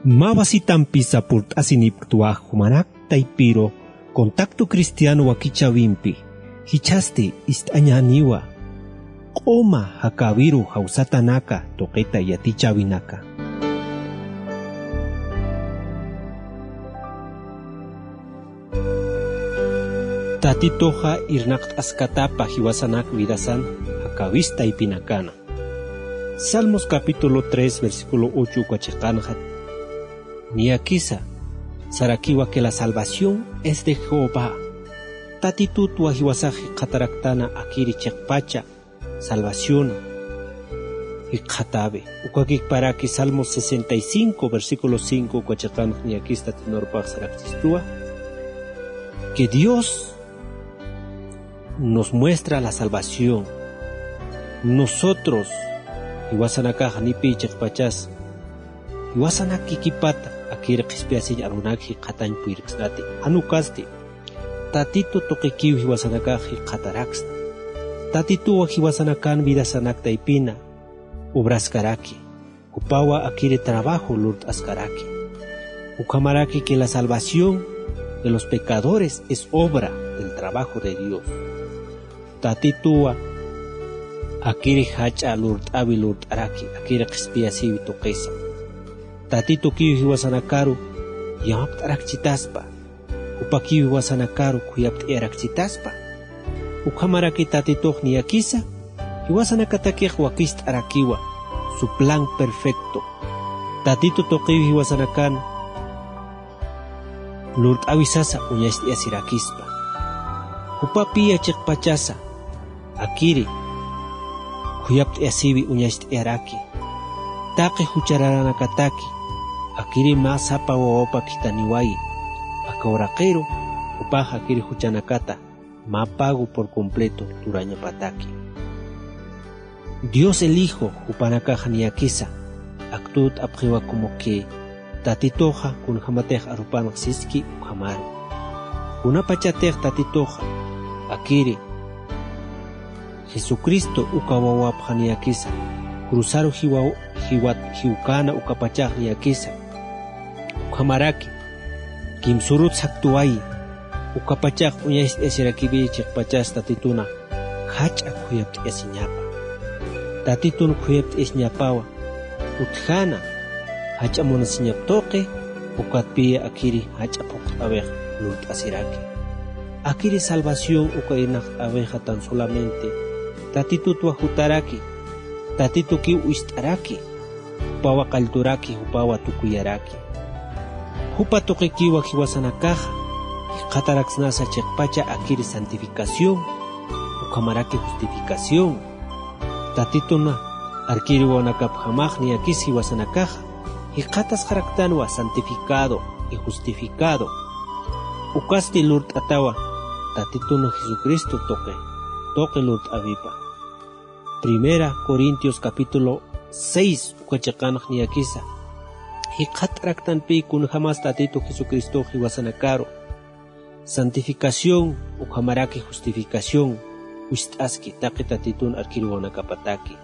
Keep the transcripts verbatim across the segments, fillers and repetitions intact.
Mä wasitampisa purt'asinipktwa jumanak taypiru Contacto Cristiano wakichäwimpi, jichhasti ist'añäniwa q'uma jakäwiru jawsatanaka tuqita yatichäwinaka. Tatituxa irnaqt'askatapa jiwasanak vidasan jakäwis taypinakana. Salmos capítulo tres, versículo ocho uka chiqanxa niyakisa sarakiwa que la salvación es de Jehová. Tatitutwa jiwasax jikxataraktana akiri chiqpacha salvación jikxatawi. Ukakikparaki Salmos sesenta y cinco, versículo cinco uka chiqanx niyakis Tatitun arupax sarakchistuwa que Dios nos muestra la salvación. Nosotros, jiwasanakax nipï chiqpachas, jiwasanak kikipata akir qhispiyasiñ arunak jikxatañ puyirksnati. Jan ukasti, Tatitu tuqikiw jiwasanakax jikxataraksna. Tatituwa jiwasanakan vidasanak taypina obraskaraki. Jupawa akiri trabajo lurt'askaraki. Ukhamaraki que la salvación de los pecadores es obra del trabajo de Dios. Tatituwa akiri jach'a lurt'awi lurt'araki, akiri qhispiyasiwi tuqisa. Tatitukiw jiwasanakaru yamapt'arakchitaspa. Jupakiw jiwasanakaru khuyapt'ayarakchitaspa. Ukhamaraki Tatitux niyakisa jiwasanakatakix wakist'arakiwa, su plan perfecto. Tatitu tuqiw jiwasanakan lurt'awisasa uñacht'ayasirakispa. Jupapï chiqpachasa akiri khuyapt'ayasiwi uñacht'ayaraki. Taqi juchararanakataki akiri mä sapa wawapa khithaniwayi. Aka uraqiru jupax akiri juchanakata mä pago por completo turañapataki. Dios el Hijo jupanakax niyakisa aktut apxiwa como que Tatituxa kunjamatix arupanx siski ukhamaru. Kunapachatix Tatituxa akiri Jesucristo uka wawapxa niyakisa cruzaru jiwa-, jiwat-, jiwkana ukapachax niyakisa. Ukhamaraki kimsurut saktuwayi, ukapachax uñacht'ayasirakiwi chiqpachas Tatituna jach'a khuyapt'ayasiñapa. Tatitun khuyapt'ayasiñapawa utjana jach'a munasiñap tuqi, ukatpï akiri jach'a phuqt'awix lurt'asiraki. Akiri salvación uka irnaqt'awixa tan solamente Tatitutwa jutaraki, Tatitukiw uñacht'araki, jupawa qallturaki, jupawa tukuyaraki. Jupa tuqikiwa jiwasanakaxa jikxataraksnasa chiqpacha akiri santificación, ukhamaraki justificación. Tatituna arkiri wawanakapjamax niyakis jiwasanakaxa jikxatasxaraktanwa santificado y justificado. Ukasti lurt'atawa Tatituna Jesucristo tuqi, tuqi lurt'awipa. Primera Corintios capítulo seis uka chiqanx niyakisa jikxataraktanpï kunjamas Tatitu Jesucristox jiwasanakaru santificación ukhamaraki justificación uñacht'aski taqi Tatitun arkiri wawanakapataki.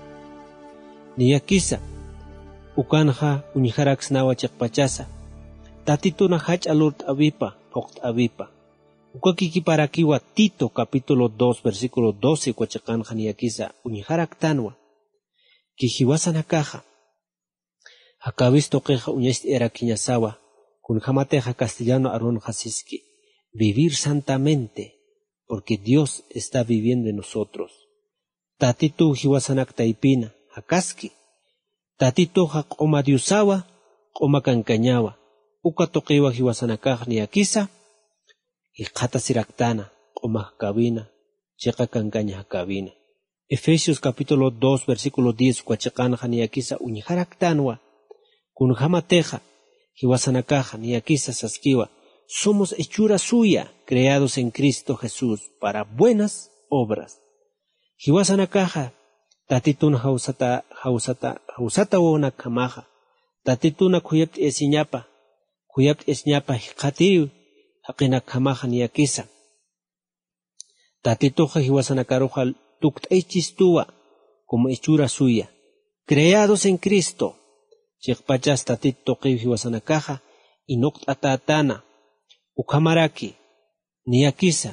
Niyakisa ukanxa uñjaraksnawa chiqpachasa Tatituna jach'a lurt'awipa, phuqt'awipa. Ukakikiparakiwa Tito capítulo dos, versículo doce uka chiqanxa niyakisa uñjaraktanwa que jiwasanakaxa jakäwis tuqixa uñacht'ayarakiñasawa, kunjamatixa castellano arunxa siski: vivir santamente, porque Dios está viviendo en nosotros. Tatituw jiwasanak taypina jakaski. Tatituxa q'uma Diosawa, q'uma kankañawa. Uka tuqiwa jiwasanakax niyakisa jikxatasiraktana, q'uma jakäwina, chiqa kankaña jakäwina. Efesios capítulo dos, versículo diez uka chiqanxa niyakisa uñjaraktanwa. Kunjamatixa jiwasanakaxa niyakisa saskiwa: somos hechura suya, creados en Cristo Jesús para buenas obras. Jiwasanakaxa Tatitun jawsata, jawsata, jawsata wawanakjamaxa, Tatituna khuyapt'ayasiñapa, khuyapt'ayasiñapa jikxatiriw jaqinakjamaxa niyakisa. Tatituxa jiwasanakaruxa tukt'aychistuwa como hechura suya, creados en Cristo, Chiqpachas tatit tuqiw jiwasanakaxa inuqt'atätana. Ukhamaraki niyakisa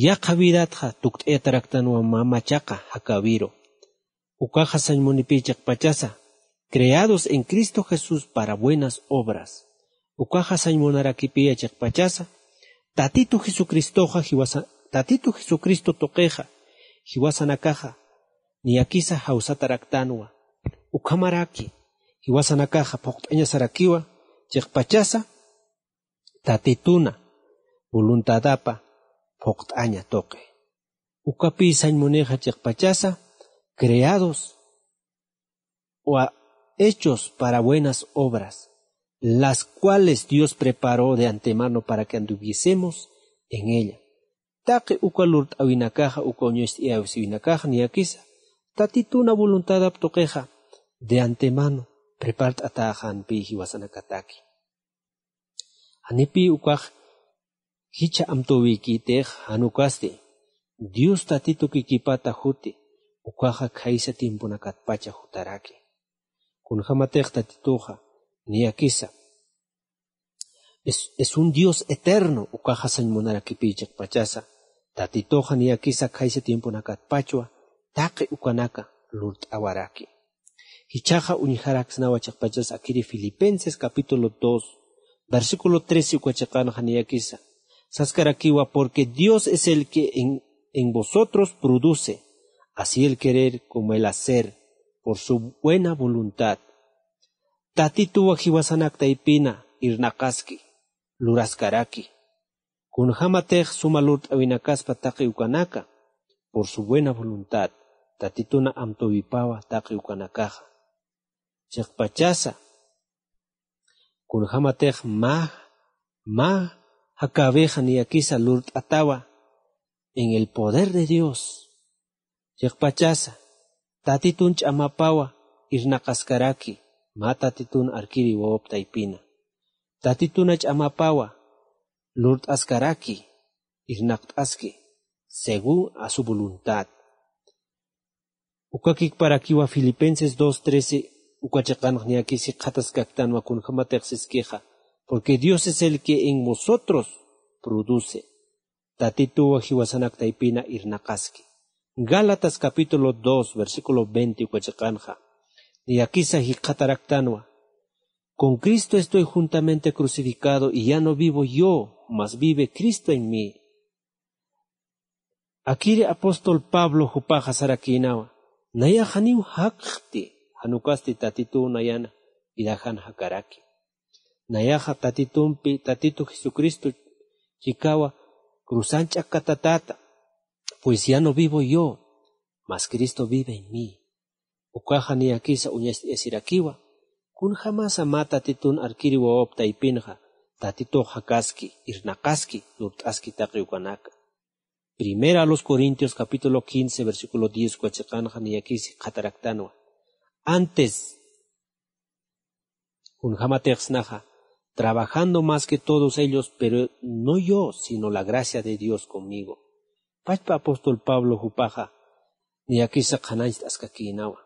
yaqha vidatxa tukt'ayataraktanwa mä machaqa jakäwiru. Ukaxa sañ munipï chiqpachasa creados en Cristo Jesús para buenas obras. Ukaxa sañ munarakipiya chiqpachasa tatitu jesucristoxa jiwasa tatitu jesucristo tuqixa jiwasanakaxa niyakisa jawsataraktanwa. Ukhamaraki jiwasanakaxa phuqt'añasarakiwa chiqpachasa tatituna voluntadapa phuqt'aña tuqi. Ukapï sañ munixa chiqpachasa creados o hechos para buenas obras, las cuales Dios preparó de antemano para que anduviésemos en ella. Taqi uka lurt'äwinakaxa uka uñacht'ayäwisiwinakaxa niyakisa tatituna voluntadap tuqixa de antemano prepart'atäxänpï jiwasanakataki. Janipï ukax jichha amtüwikïtix jan ukasti dios tatitukikipata juti ukaxa khaysa tiemponakatpacha jutaraki. Kunjämatix tatituxa niyakisa es un dios eterno ukaxa sañ munarakipï chiqpachasa tatituxa niyakisa khaysa tiemponakatpachwa taqi ukanaka lurt'awaraki. Jichhaxa uñjaraksnawa chiqpachas akiri filipenses capítulo dos versículo trece uka chiqanxa niyakisa saskarakiwa porque dios es el que en, en vosotros produce así el querer como el hacer por su buena voluntad. Tatituwa jiwasanak taypina irnaqaski luraskaraki kunjämatix suma lurt'äwinakaspa taqi ukanaka por su buena voluntad tatituna amtüwipawa taqi ukanakaxa. Chiqpachasa kunjämatix mä mä jakäwixa niyakisa lurt'atawa en el poder de dios. Chiqpachasa tatitun ch'amapawa irnaqaskaraki mä tatitun arkiri wawap taypina tatituna ch'amapawa lurt'askaraki irnaqt'aski según a su voluntad. Ukakikparakiwa filipenses dos trece uka chiqanx niyakis jikxataskaktanwa kunjämatix siskixa porque dios es el que en vosotros produce tatituwa jiwasanak taypina irnaqaski. Gálatas capítulo dos versículo veinte uka chiqanxa niyakisa jikxataraktanwa con cristo estoy juntamente crucificado y ya no vivo yo mas vive cristo en mí. Akiri apóstol pablo jupaxa sarakïnawa nayax janiw jakxti jan ukasti tatituw nayana vidajan jakaraki. Nayaxa tatitumpi tatitu jesucristo chikawa cruzan ch'akkatatäta pues ya no vivo yo mas cristo vive en mí. Ukaxa niyakisa uñacht'ayasirakiwa kunjämasa mä tatitun arkiri wawap taypinxa tatitux jakaski irnaqaski lurt'aski taqi ukanaka. Primera a los corintios capítulo quince versículo diez uka chiqanxa niyakis jikxataraktanwa antes kunjämatix snaxa trabajando más que todos ellos pero no yo sino la gracia de dios conmigo. Pachpa apóstol pablo jupaxa niyakisa qhanañcht'askakïnawa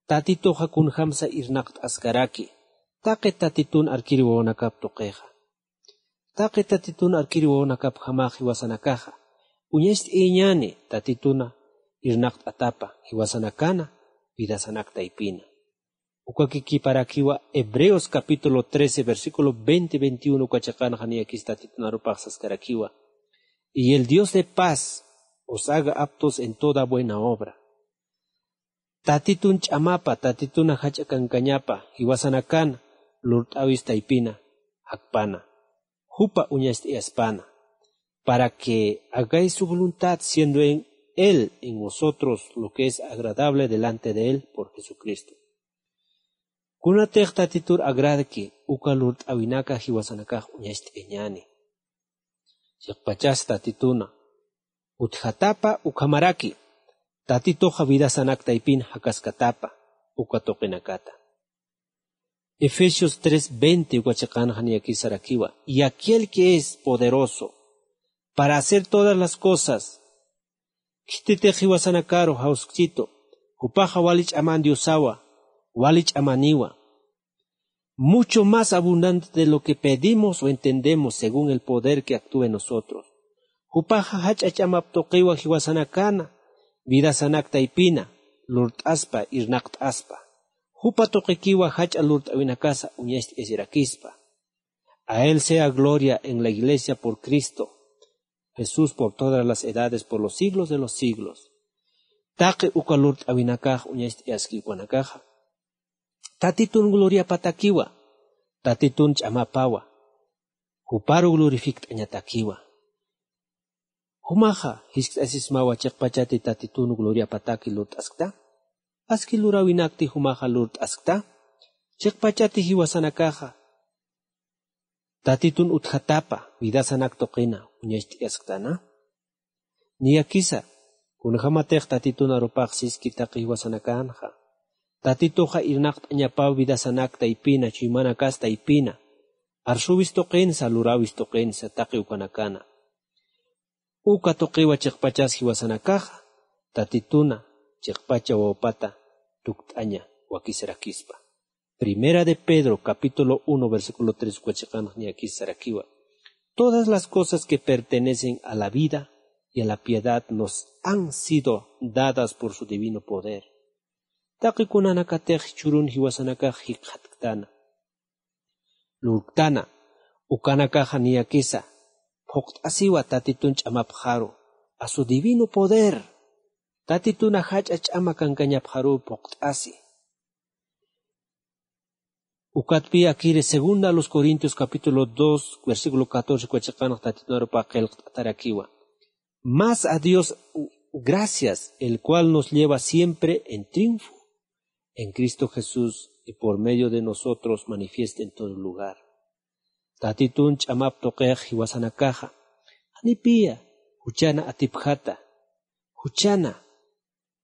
tatituxa kunjämsa irnaqt'askaraki taqi tatitun arkiri wawanakap tuqixa. Taqi tatitun arkiri wawanakapjamax jiwasanakaxa uñacht'ayañäni tatituna irnaqt'atapa jiwasanakana vidasanak taypina. Ukakikiparakiwa hebreos capítulo trece versículo veinte veintiuno uka chiqanxa niyakis tatitunarupax saskarakiwa y el dios de paz os haga aptos en toda buena obra. Tatitun ch'amapa tatituna jach'a kankañapa jiwasanakan lurt'äwis taypina jakpana jupa uñacht'ayaspana para que hagáis su voluntad siendo en él en vosotros lo que es agradable delante de él por jesucristo. Kunatix tatitur agradki uka lurt'äwinaka jiwasanakax uñacht'ayañäni. Chiqpachas tatituna utjatapa ukhamaraki tatituxa vidasanak taypin jakaskatapa uka tuqinakata. Efesios tres veinte uka chiqanxa niyakis sarakiwa y aquel que es poderoso para hacer todas las cosas khititix jiwasanakaru jawskchitu jupaxa wali ch'aman diosawa wali ch'amaniwa. Mucho más abundante de lo que pedimos o entendemos según el poder que actúa en nosotros. Jupaxa jach'a ch'amap tuqiwa jiwasanakana, vidasanak taypina, lurt'aspa, irnaqt'aspa. Jupa tuqikiwa jach'a lurt'awinakasa uñacht'ayasirakispa. A él sea gloria en la iglesia por Cristo Jesús por todas las edades, por los siglos de los siglos. Taqi uka lurt'awinakax uñacht'ayaski ukanakaxa. Tatitun gloriapatakiwa, Tatitun ch'amapawa, juparu glorifikt'añatakiwa. Jumaxa jiskt'asismawa chiqpachati Tatitun gloriapataki lurt'askta. Aski luräwinakti jumaxa lurt'askta. Chiqpachati jiwasanakaxa Tatitun utjatapa vidasanak tuqina uñacht'ayasktana. Niyakisa, kunjamatix Tatitun arupax siski taqi jiwasanakanxa, Tatituxa irnaqt'añapaw vidasanak taypina, chuymanakasa taypina, arsuwis tuqinsa, luräwis tuqinsa taqi ukanakana. Uka tuqiwa chiqpachas jiwasanakaxa, Tatituna chiqpacha wawpata tukt'aña wakisirakispa. Primera de Pedro, capítulo uno, versículo tres, uka chiqanx niyakis sarakiwa. Todas las cosas que pertenecen a la vida y a la piedad nos han sido dadas por su divino poder. Taqi kunanakatix jichhürun jiwasanakax jikxatktana, lurktana, ukanakaxa niyakisa phuqt'asiwa Tatitun ch'amapxaru, a su divino poder. Tatituna jach'a ch'ama kankañapxaru phuqt'asi. Ukatpi akiri segunda a los Corintios capítulo dos, versículo catorce, uka chiqanx Tatitun arupax qillqt'atarakiwa. Mas a Dios gracias, el cual nos lleva siempre en triunfo en Cristo Jesús, y por medio de nosotros manifiesta en todo lugar. Tatitun ch'amap tuqix jiwasanakaxa, janipiya juchana atipjata, juchana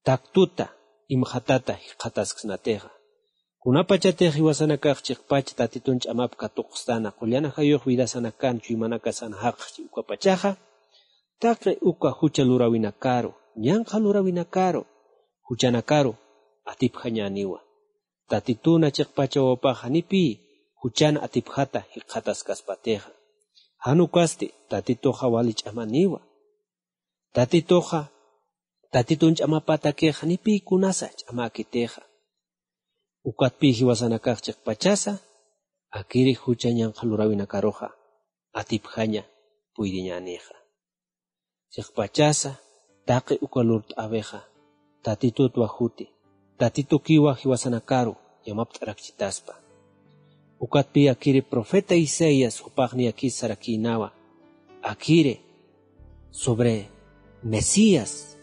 taktuta, imxatata jikxatasksnatixa. Kunapachatix jiwasanakax chiqpach Tatitun ch'amap katuqstana, qullana jayux vidasanakan, chuymanakasan jaqxchi ukapachaxa, taqi uka jucha luräwinakaru, ñanqha luräwinakaru, juchanakaru atipjañäniwa. Tatituna chiqpacha wawpax janipi juchan atipjata jikxataskaspatixa. Jan ukasti, Tatituxa wali ch'amaniwa. Tatituxa, Tatitun ch'amapatakix janipi kunasa ch'amäkitixa. Ukatpi jiwasanakax chiqpachasa, akiri jucha ñanqha luräwinakaruxa atipjaña puydiñänixa. Chiqpachasa, taqi uka lurt'äwixa, Tatitutwa juti, Tatitukiwa jiwasanakaru yamapt'arakchitaspa. Ukatpi akiri profeta Isaías jupax niyakis sarakïnawa, akiri sobre Mesías,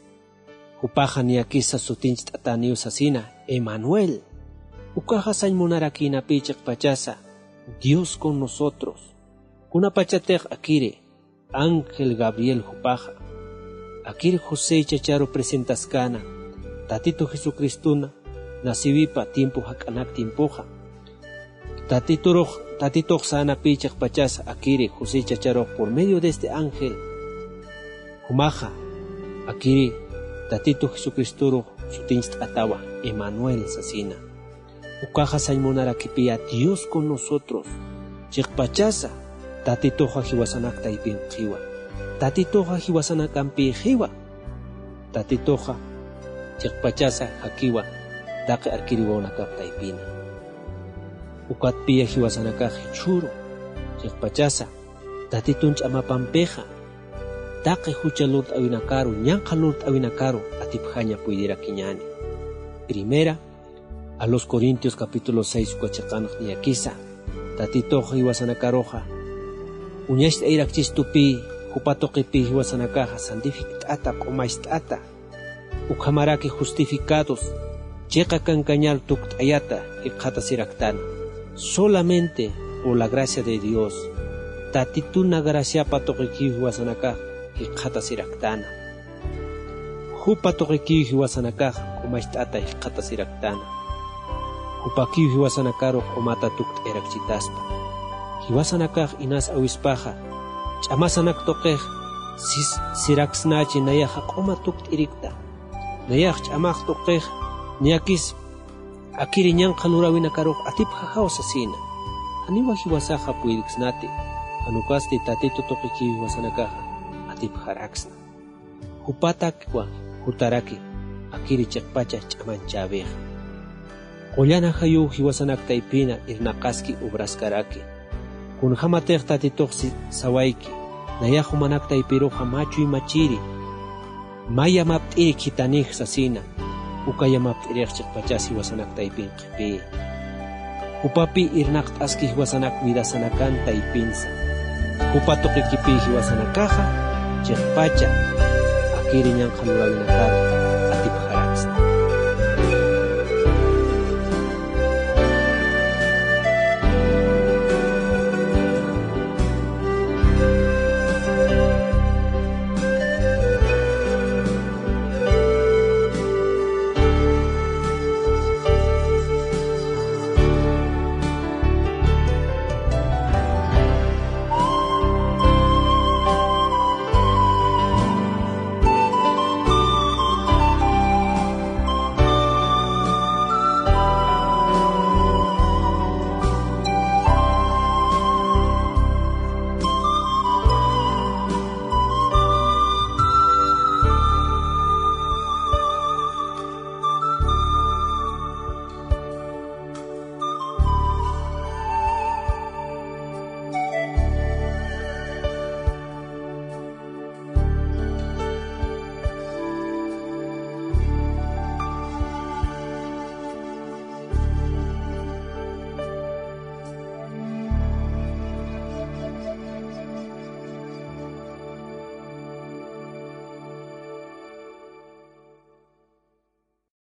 jupaxa niyakisa sutincht'atäniw sasina, Emanuel. Ukaxa sañ munarakïnapï chiqpachasa, Dios con nosotros. Kunapachatix akiri, ángel Gabriel jupaxa, akir José chacharu presentaskäna, Tatitu Jesucristuna naciwipa tiempo jak'anak tiempoxa. Tatiturux, Tatitux sänapï chiqpachasa akiri José chacharux por medio de este ángel. Jumaxa, akiri Tatitu Jesucristorux sutincht'atawa, Emanuel sasina. Ukaxa sañ munarakipï, Dios con nosotros. Chiqpachasa, Tatituxa jiwasanak taypinxiwa. Tatituxa jiwasanakampïxiwa. Tatituxa chiqpachasa jakiwa, taqi arkiri wawanakap taypina. Ukatpï jiwasanakax jichhüru, chiqpachasa, Tatitun ch'amapampixa, taqi jucha lurt'awinakaru, ñanqha lurt'awinakaru atipjaña puydirakiñäni. Primera a los Corintios capítulo seis uka chiqanx niyakisa, Tatitux jiwasanakaruxa uñacht'ayirakchistupï, jupa tuqipï jiwasanakaxa santifikt'ata, q'umacht'ata, ukhamaraki justificados, chiqa kankañar tukt'ayata jikxatasiraktana. Solamente por la gracia de Dios, Tatituna graciapa tuqikiw jiwasanakax jikxatasiraktana. Jupa tuqikiw jiwasanakax q'umacht'ata jikxatasiraktana. Jupakiw jiwasanakaru q'umata tukt'ayirakchitaspa. Jiwasanakax inas awispaxa, ch'amasanak tuqix sis-, siraksnachi nayaxa q'uma tukt'irikta. Nayax ch'amax tuqix niyakis Akiri ñanqha luräwinakarux atipxajaw sasïna. Janiwa jiwasaxa puyirksnati, jan ukasti Tatitu tuqikiw jiwasanakaxa atipxaraksna. Jupatakwa jutaraki akiri chiqpacha ch'amanchäwixa. Qullan ajayuw jiwasanak taypina irnaqaski obraskaraki. Kunjämatix Tatitux sawayki, nayax jumanak taypiruxa mä chuymachiri, mä yamapt'iri khitanix sasïna, uka yamapt'irix chiqpachas jiwasanak taypin qhipï. Jupapï irnaqt'aski jiwasanak vidasanakan taypinsa. Jupa tuqikipï jiwasanakaxa chiqpacha akiri ñanqha luräwinakar